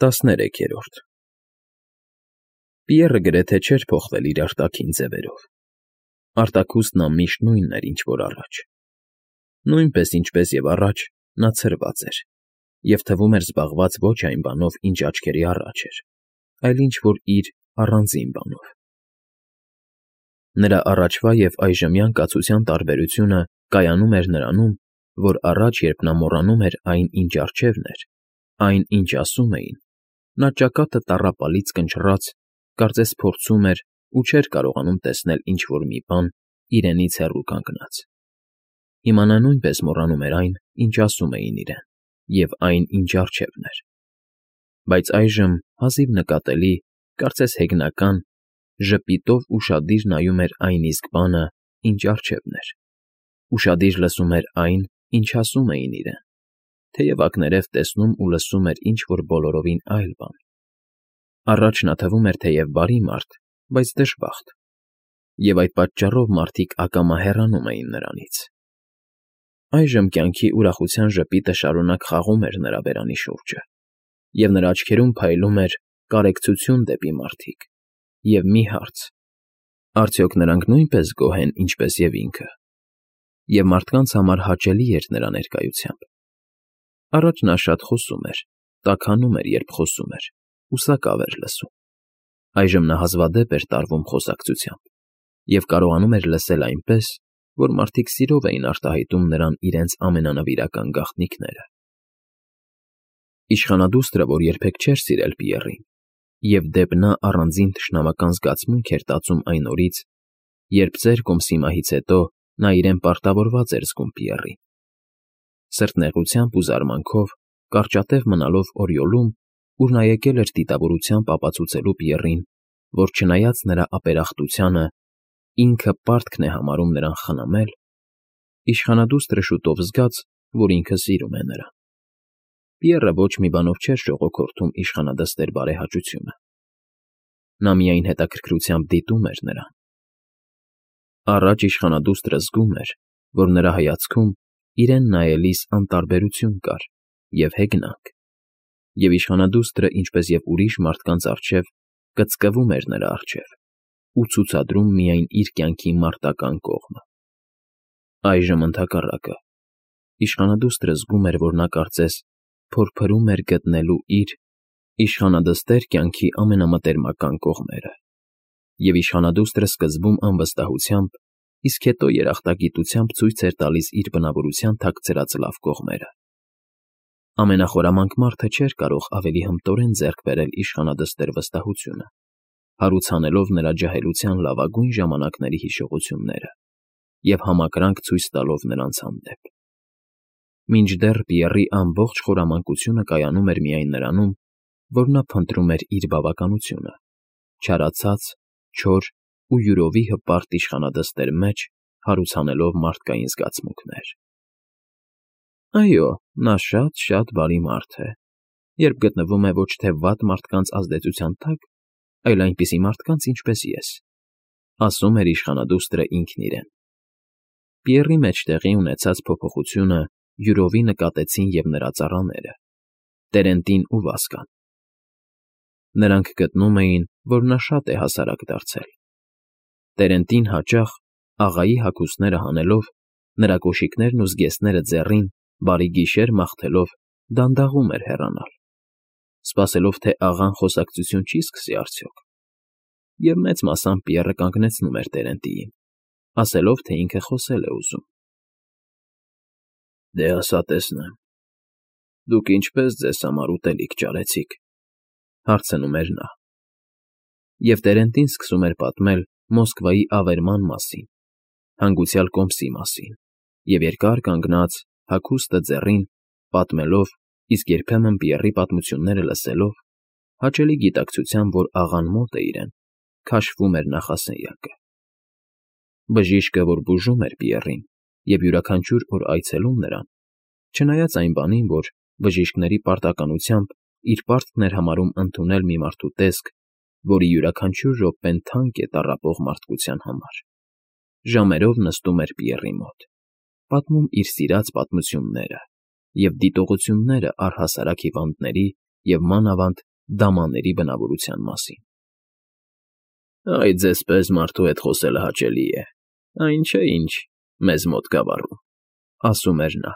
13-րդ Պիեռը գրեթե չէր փոխվել իր արտաքին ձևերով. արտաքուստ նա միշտ նույնն էր, ինչ որ առաջ. նույնպես, ինչպես և առաջ, նա ցրված էր և թվում էր զբաղված ոչ այն բանով, ինչ աչքերի առաջ էր, այլ ինչ֊որ իր առանձին բանով. նրա առաջվա և այժմյան կացության տարբերությունը կայանում էր նրանում, որ առաջ, երբ նա մոռանում էր այն, ինչ առջևն էր, այն, ինչ ասում էին, նա ճակատը տառապալից կնճռած, կարծես փորձում էր ու չէր կարողանում տեսնել ինչ֊որ մի բան իրենից հեռու կանգնած. հիմա նա նույնպես մոռանում էր այն, ինչ ասում էին իրեն, և այն, ինչ առջևն էր, բայց այժմ հազիվ նկատելի, կարծես հեգնական, ժպիտով ուշադիր նայում էր այն իսկ բանը, ինչ առջևն էր, ուշադիր լսում էր այն, ինչ ասում էին իրեն, թեև ակներև տեսնում ու լսում էր ինչ֊որ բոլորովին այլ բան. առաջ նա թվում էր թեև բարի մարդ, բայց դժբախտ, և այդ պատճառով մարդիկ ակամա հեռանում էին նրանից. այժմ կյանքի ուրախության ժպիտը շարունակ խաղում էր նրա բերանի շուրջը, և նրա աչքերում փայլում էր կարեկցություն դեպի մարդիկ, և մի հարց. արդյոք նրանք նույնպե՞ս գոհ են, ինչպես և ինքը, և մարդկանց համար հաճելի էր նրա ներկայությամբ. առաջ նա շատ խոսում էր, տաքանում էր, երբ խոսում էր, ու սակավ էր լսում. այժմ նա հազվադեպ էր տարվում խոսակցությամբ և կարողանում էր լսել այնպես, որ մարդիկ սիրով էին արտահայտում նրան իրենց ամենանվիրական գաղտնիքները. Իշխանադուստրը, որ երբեք չէր սիրել Պիեռին, և դեպ նա առանձին թշնամական զգացմունք էր տածում այն օրից, երբ ծեր կոմսի մահից հետո նա իրեն պարտավորված էր զգում Պիեռին. սրտնեղությամբ ու զարմանքով, կարճատև մնալով Օրիոլում, ուր նա եկել էր դիտավորությամբ ապացուցելու Պիեռին, որ չնայած նրա ապերախտությանը, ինքը պարտքն է համարում նրան խնամել, իշխանադուստրը շուտով զգաց, որ ինքը սիրում է նրան. Պիեռը ոչ մի բանով չէր շողոքորթում իշխանադստեր բարեհաճությունը. նա միայն հետաքրքրությամբ դիտում էր նրան. առաջ իշխանադուստրը զգում էր, որ նրա հայացքում իրեն նայելիս անտարբերություն կար և հեգնանք, և իշխանադուստրը, ինչպես և ուրիշ մարդկանց առջև, կծկվում էր նրա առջև ու ցուցադրում միայն իր կյանքի մարտական կողմը. այժմ ընդհակառակը, իշխանադուստրը զգում էր, որ նա կարծես փորփրում էր գտնելու իր իշխանադստեր կյանքի ամենամտերմական կողմերը, և իշխանադուստրը սկզբում անվստահությամբ, իսկ հետո երախտագիտությամբ ցույց էր տալիս իր բնավորության թաքցրած լավ կողմերը. ամենախորամանկ մարդը չէր կարող ավելի հմտորեն ձեռք բերել իշխանադստեր վստահությունը, հարուցանելով նրա ջահելության լավագույն ժամանակների հիշողությունները և համակրանք ցույց տալով նրանց հանդեպ. մինչդեռ Պիեռի ամբողջ խորամանկությունը կայանում էր միայն նրանում, որ նա փնտրում էր իր բավականությունը, չարացած, չոր ու յուրովի հպարտ իշխանադստեր մեջ հարուցանելով մարդկային զգացմունքներ. այո, նա շատ բարի մարդ է, երբ գտնվում է ոչ թե վատ մարդկանց ազդեցության տակ, այլ այնպիսի մարդկանց, ինչպես ես, ասում էր իշխանադուստրը ինքն իրեն. Պիեռի մեջ տեղի ունեցած փոփոխությունը յուրովի նկատեցին և նրա ծառաները, Տերենտին ու Վասկան. նրանք գտնում էին, որ նա շատ է հասարակ դարձել. Տերենտին հաճախ, աղայի հագուստները հանելով, նրա կոշիկներն ու զգեստները ձեռին, բարի գիշեր մաղթելով, դանդաղում էր հեռանալ, սպասելով, թե աղան խոսակցություն չի սկսի արդյոք, և մեծ մասամբ Պիեռը կանգնեցնում էր Տերենտիին, ասելով, թե ինքը խոսել է ուզում. «Դե ասա տեսնեմ, դուք ինչպե՞ս ձեզ համար ուտելիք ճարեցիք», հարցնում էր նա, և Տերենտին սկսում էր պատմել Մոսկվայի ավերման մասին, հանգուցյալ կոմսի մասին, և երկար կանգնած, հագուստը ձեռին, պատմելով, իսկ երբեմն Պիեռի պատմությունները լսելով, հաճելի գիտակցությամբ, որ աղան մոտ է իրեն, քաշվում էր նախասենյակը. բժիշկը, որ բուժում էր Պիեռին և յուրաքանչյուր օր այցելում նրան, չնայած այն բանին, որ բժիշկների պարտականությամբ իր պարտքն էր համարում ընդունել մի մարդու տեսք, որի յուրաքանչյուր րոպեն թանկ է տառապող մարդկության համար, ժամերով նստում էր Պիեռի մոտ, պատմում իր սիրած պատմությունները և դիտողությունները առհասարակ հիվանդների և մանավանդ դամաների բնավորության մասին։ Այ ձեզպես մարդու հետ խոսելը հաճելի է, այն չէ, ինչ մեզ մոտ գավառում, ասում էր նա։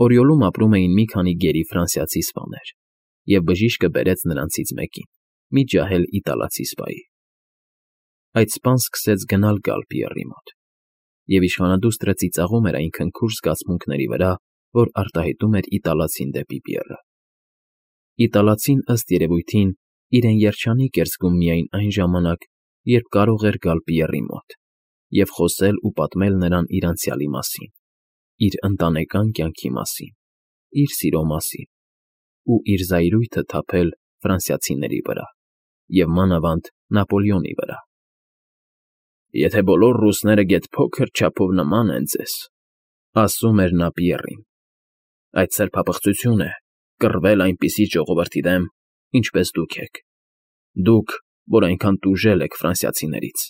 Օրիոլում ապրում էին մի քանի գերի ֆրանսիացի սպաներ, և բժիշկը բերեց նրանցից մեկին, մի ջահել իտալացի սպայի։ Այդ սպան սկսեց գնալ֊գալ Պիեռի մոտ, և իշխանադուստրը ծիծաղում էր այն քնքուշ զգացմունքների վրա, որ արտահայտում էր իտալացին դեպի Պիեռը։ Իտալացին, ըստ երևույթին, իրեն երջանիկ էր զգում միայն այն ժամանակ, երբ կարող էր գալ Պիեռի մոտ և խոսել ու պատմել նրան իր անցյալի մասին, իր ընտանեկան կյանքի մասին, իր սիրո մասին ու իր զայրույթը թափել ֆրանսիացիների վրա և մանավանդ Նապոլեոնի վրա։ Եթե բոլոր ռուսները գեթ փոքր չափով նման են ձեզ, ասում էր նա Պիեռին, այդ սրբապղծություն է կռվել այնպիսի ժողովրդի դեմ, ինչպես դուք եք, դուք, որ այնքան տուժել եք ֆրանսիացիներից,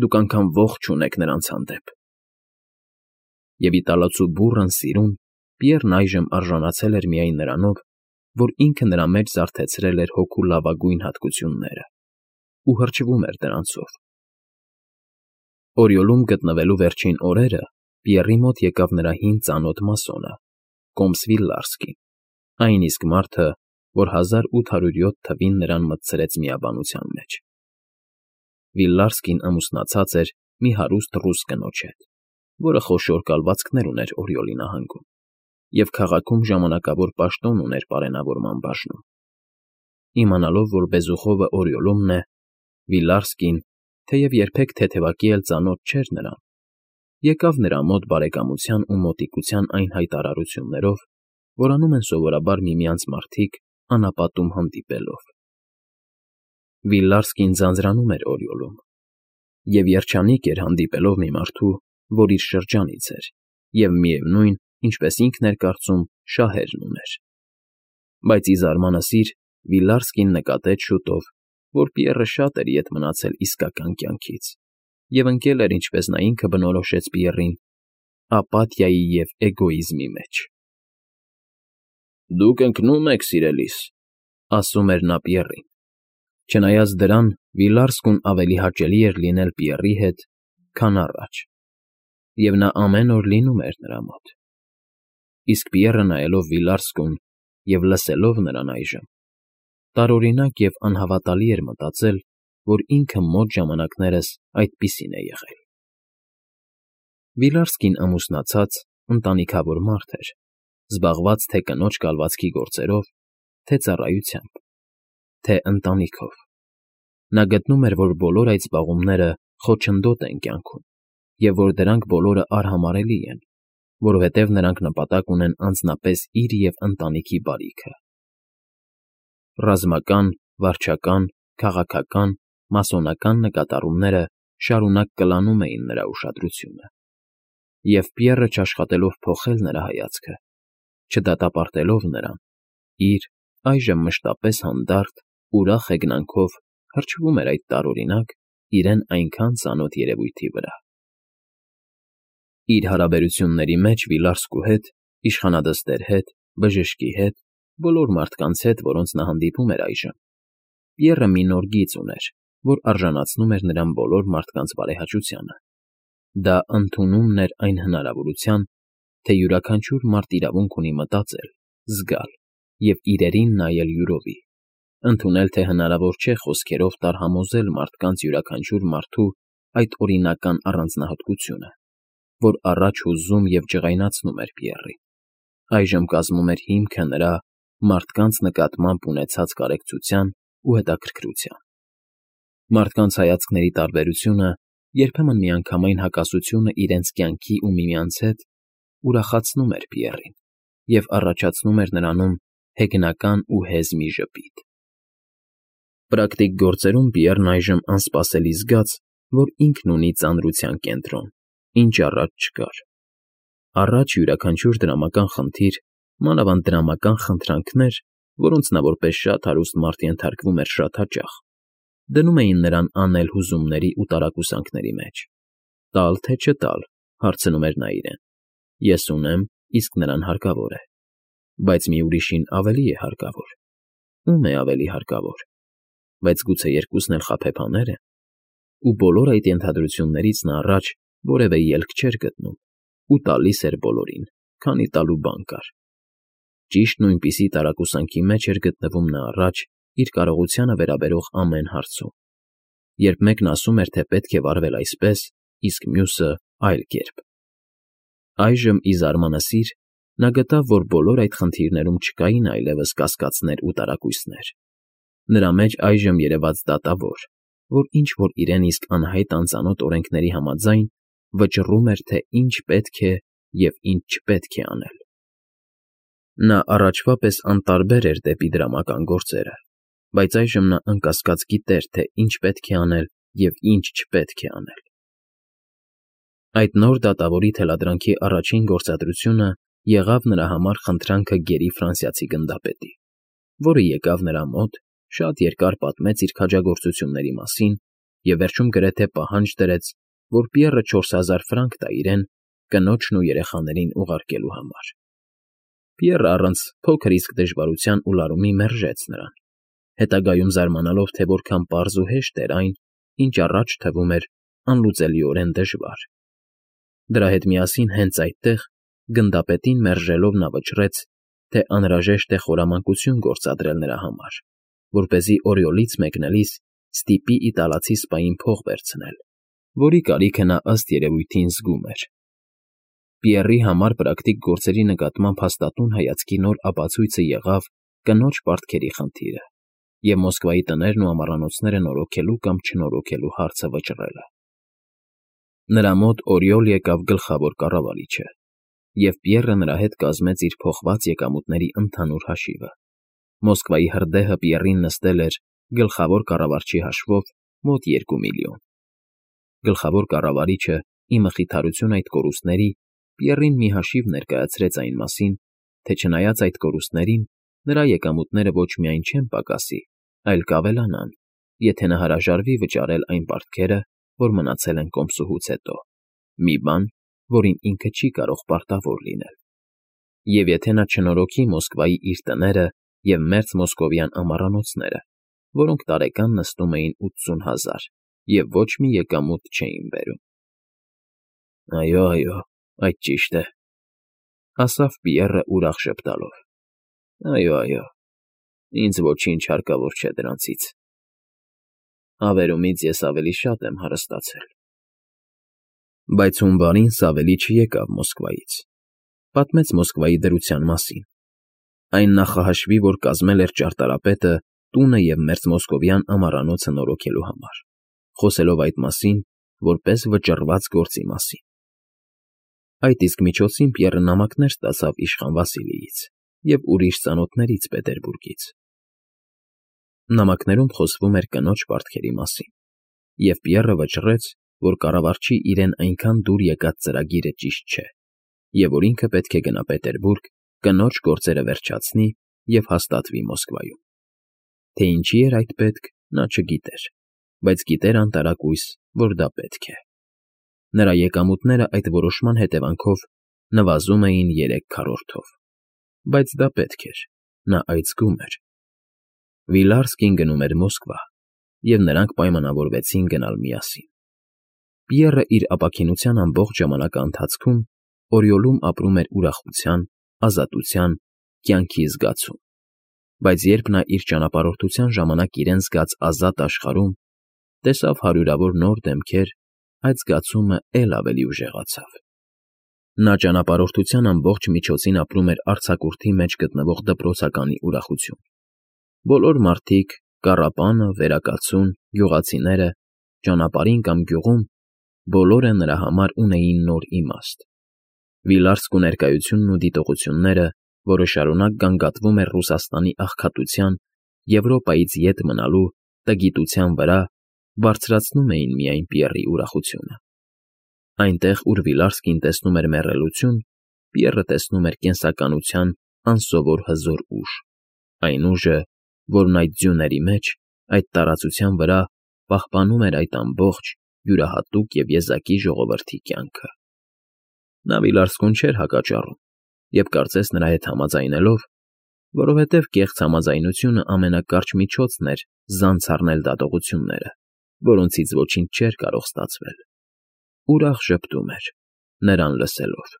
դուք անգամ ոխ չունեք նրանց հանդեպ։ Եվ իտալացու բուռն սիրուն Պիեռն այժմ արժանացել էր միայն նրանով, որ ինքը նրա մեջ զարթեցրել էր հոգու լավագույն հատկությունները ու հրճվում էր դրանցով։ Օրիոլում գտնվելու վերջին օրերը Պիեռի մոտ եկավ նրա հին ծանոթ մասոնը, կոմս Վիլլարսկին, այն իսկ մարդը, որ 1807 թվին նրան մտցրեց միաբանության մեջ։ Վիլլարսկին ամուսնացած էր մի հարուստ ռուս կնոջ հետ, որը խոշոր կալվածքներ ուներ Օրիոլի նահանգում և քաղաքում ժամանակավոր պաշտոն ուներ պարենավորման բաժնում։ Իմանալով, որ Բեզուխովը Օրիոլումն է, Վիլլարսկին, թեև երբեք թեթևակի էլ ծանոթ չէր նրան, եկավ նրա մոտ բարեկամության ու մոտիկության այն հայտարարություններով, որ անում են սովորաբար միմյանց մարդիկ անապատում հանդիպելով։ Վիլլարսկին ձանձրանում էր Օրիոլում և երջանիկ էր հանդիպելով մի մարդու, որ իր շրջանից էր և միևնույն, ինչպես ինքն էր կարծում, շահերն ուներ։ Բայց ի զարմանս իր Վիլլարսկին նկատեց շուտով, որ Պիեռը շատ էր ետ մնացել իսկական կյանքից և ընկել էր, ինչպես նա ինքը բնորոշեց Պիեռին, ապաթիայի և էգոիզմի մեջ։ Դուք ընկնում եք, սիրելիս, ասում էր նա Պիեռին։ Չնայած դրան, Վիլլարսկուն ավելի հաճելի էր լինել Պիեռի հետ, քան առաջ, և նա ամեն օր լինում էր նրա մոտ։ Իսկ Պիեռը նայելով Վիլլարսկուն և լսելով նրան այժմ, տարօրինակ և անհավատալի էր մտածել, որ ինքը մոտ ժամանակներս այդպիսին է եղել։ Վիլլարսկին ամուսնացած, ընտանիքավոր մարդ էր, զբաղված թե կնոջ կալվածքի գործերով, թե ծառայությամբ, թե ընտանիքով։ Նա գտնում էր, որ բոլոր այդ զբաղումները խոչընդոտ են կյանքում և որ դրանք բոլորը արհամարհելի են, որովհետև նրանք նպատակ ունեն անձնապես իր և ընտանիքի բարիքը։ Ռազմական, վարչական, քաղաքական, մասոնական նկատառումները շարունակ կլանում էին նրա ուշադրությունը, և Պիեռը չաշխատելով փոխել նրա հայացքը, չդատապարտելով նրան, իր, այժմ մշտապես հանդարտ, ուրախ հեգնանքով հրճվում էր այդ տարօրինակ, իրեն այնքան ծանոթ երևույթի վրա։ Իր հարաբերությունների մեջ Վիլլարսկու հետ, իշխանադստեր հետ, բժշկի հետ, բոլոր մարդկանց հետ, որոնց նա հանդիպում էր այժմ, Պիեռը մի նոր գիծ ուներ, որ արժանացնում էր նրան բոլոր մարդկանց բարեհաճությանը։ Դա ընդունումն էր այն հնարավորության, թե յուրաքանչյուր մարդ իրավունք ունի մտածել, զգալ և իրերին նայել յուրովի, ընդունել, թե հնարավոր չէ խոսքերով տարհամոզել մարդկանց յուրաքանչյուր մարդու այդ օրինական առանձնահատկությունը, որ առաջ հուզում և ջղայնացնում էր Պիեռին, այժմ կազմում էր հիմքը նրա մարդկանց նկատմամբ ունեցած կարեկցության ու հետաքրքրության։ Մարդկանց հայացքների տարբերությունը, երբեմն միանգամայն հակասությունը իրենց կյանքի ու միմյանց հետ ուրախացնում էր Պիեռին և առաջացնում էր նրանում հեգնական ու հեզ մի ժպիտ։ Պրակտիկ գործերում Պիեռն այժմ անսպասելի զգաց, որ ինքն ունի ծանրության կենտրոն, ինչ առաջ չկար։ Առաջ յուրաքանչյուր դրամական խնդիր, մանավանդ դրամական խնդրանքներ, որոնց նա որպես շատ հարուստ մարդ ենթարկվում էր շատ հաճախ, դնում էին նրան անել հուզումների ու տարակուսանքների մեջ։ Տալ թե չտալ, հարցնում էր նա իրեն։ Ես ունեմ, իսկ նրան հարկավոր է, բայց մի ուրիշին ավելի է հարկավոր։ ում է ավելի հարկավոր, բայց գուցե երկուսն էլ խաբեբաներ են, ու բոլոր այդ ենթադրություններից նա առաջ որևէ ելք չէր գտնում ու տալիս էր բոլորին, քանի տալու բան կար։ Ճիշտ նույնպիսի տարակուսանքի մեջ էր գտնվում նա առաջ իր կարողությանը վերաբերող ամեն հարցում, երբ մեկն ասում էր, թե պետք է վարվել այսպես, իսկ մյուսը այլ կերպ։ Այժմ, ի զարմանասիր, նա գտավ, որ բոլոր այդ խնդիրներում չկային այլևս կասկածներ ու տարակույսներ։ Նրա մեջ այժմ երևաց դատավոր, որ ինչ-որ իրեն իսկ անհայտ անծանոթ օրենքների համաձայն վճռում էր, թե ինչ պետք է և ինչ չպետք է անել։ Նա առաջվա պես անտարբեր էր դեպի դրամական գործերը, բայց այժմ նա անկասկած գիտեր, թե ինչ պետք է անել և ինչ չպետք է անել։ Այդ նոր դատավորի թելադրանքի առաջին գործադրությունը եղավ նրա համար խնդրանքը գերի ֆրանսիացի գնդապետի, որը եկավ նրա մոտ, շատ երկար պատմեց իր քաջագործությունների մասին և վերջում գրեթե պահանջ դրեց, որ Պիեռը 4000 ֆրանկ տա իրեն կնոջն ու երեխաներին ուղարկելու համար։ Պիեռը առանց փոքր իսկ դժվարության ու լարումի մերժեց նրան, հետագայում զարմանալով, թե որքան պարզ ու հեշտ էր այն, ինչ առաջ թվում էր անլուծելիորեն դժվար։ Դրա հետ միասին հենց այդտեղ, գնդապետին մերժելով նա վճռեց, թե անհրաժեշտ է խորամանկություն գործադրել նրա համար, որպեսզի Օրիոլից մեկնելիս ստիպի իտալացի սպային փող վերցնել, որի կարիքը նա ըստ երևույթին զգում էր։ Պիեռի համար պրակտիկ գործերի նկատմամբ հաստատուն հայացքի նոր ապացույցը եղավ կնոջ պարտքերի խնդիրը և Մոսկվայի տներն ու ամառանոցները նորոգելու կամ չնորոգելու հարցը վճռելը։ Նրա մոտ Օրիոլ եկավ գլխավոր կառավարիչը, և Պիեռը նրա հետ կազմեց իր փոխված եկամուտների ընդհանուր հաշիվը։ Մոսկվայի հրդեհը Պիեռին նստել էր գլխավոր կառավարչի հաշվով մոտ 2 միլիոն։ Գլխավոր կառավարիչը, ի մխիթարություն այդ կորուստների, Պիեռին մի հաշիվ ներկայացրեց այն մասին, թե չնայած այդ կորուստներին, նրա եկամուտները ոչ միայն չեն պակասի, այլ կավելանան, եթե նա հրաժարվի վճարել այն պարտքերը, որ մնացել են կոմսուհուց հետո, մի բան, որին ինքը չի կարող պարտավոր լինել։ Եվ եթե նա չնորոգի Մոսկվայի իր տները և մերձ մոսկովյան ամառանոցները, որոնք տարեկան նստում էին 80,000 և ոչ մի եկամուտ չէին բերում։ Այո, այդ ճիշտ է, ասավ Պիեռը ուրախ ժպտալով։ Այո, ինձ ոչինչ հարկավոր չէ դրանցից։ Հավերումից ես ավելի շատ եմ հարստացել։ Բայց հունվարին Սավելի չեկավ Մոսկվայից։ Պատմեց Մոսկվայի դրության մասին։ Այն նախահաշվի, որ կազմել էր ճարտարապետը տունը և մերձմոսկովյան ամառանոցը նորոգելու համար, խոսելով այդ մասին, որպես վճռված գործի մասին։ Այդ իսկ միջոցին Պիեռը նամակներ ստացավ իշխան Վասիլիից և ուրիշ ծանոթներից Պետերբուրգից։ Նամակներում խոսվում էր կնոջ պարտքերի մասին, և Պիեռը վճռեց, որ կառավարչի իրեն այնքան դուր եկած ծրագիրը ճիշտ չէ, և որ ինքը պետք է գնա Պետերբուրգ, կնոջ գործերը վերջացնի և հաստատվի Մոսկվայում։ Թե ինչի էր այդ պետք, նա չգիտեր, բայց գիտեր անտարակույս, որ դա պետք է։ Նրա եկամուտները այդ որոշման հետևանքով նվազում էին 3/4-ով, բայց դա պետք էր, նա այդ զգում էր։ Վիլարսկին գնում էր Մոսկվա, և նրանք պայմանավորվեցին գնալ միասին։ Պիեռը իր ապաքինության ամբողջ ժամանակաընթացքում Օրիոլում ապրում էր ուրախության, ազատության, կյանքի զգացում, բայց երբ նա իր ճանապարհորդության ժամանակ իրեն զգաց ազատ աշխարհում, տեսավ հարյուրավոր նոր դեմքեր, այդ զգացումը էլ ավելի ուժեղացավ։ Նա ճանապարհորդության ամբողջ միջոցին ապրում էր արձակուրդի մեջ գտնվող դպրոցականի ուրախություն։ Բոլոր մարդիկ, կառապանը, վերակացուն, գյուղացիները, ճանապարհին կամ գյուղում, բոլորը նրա համար ունեին նոր իմաստ։ Վիլարսկու ներկայությունն ու դիտողությունները, որը շարունակ գանգատվում էր Ռուսաստանի աղքատության, Եվրոպայից ետ մնալու, տգիտության վրա, բարձրացնում էին միայն Պիեռի ուրախությունը։ Այնտեղ, ուր Վիլարսկին տեսնում էր մեռելություն, Պիեռը տեսնում էր կենսականության անսովոր հզոր ուժ, այն ուժը, որն այդ ձյուների մեջ, այդ տարածության վրա պահպանում էր այդ ամբողջ, յուրահատուկ և եզակի ժողովրդի կյանքը։ Նա Վիլարսկուն չէր հակաճառում և, կարծես նրա հետ համաձայնելով, Որովհետև կեղծ համաձայնությունը ամենակարճ միջոցն էր զանց առնել դատողությունները, որոնցից ոչինչ չէր կարող ստացվել։ Ուրախ ժպտում էր, նրան լսելով։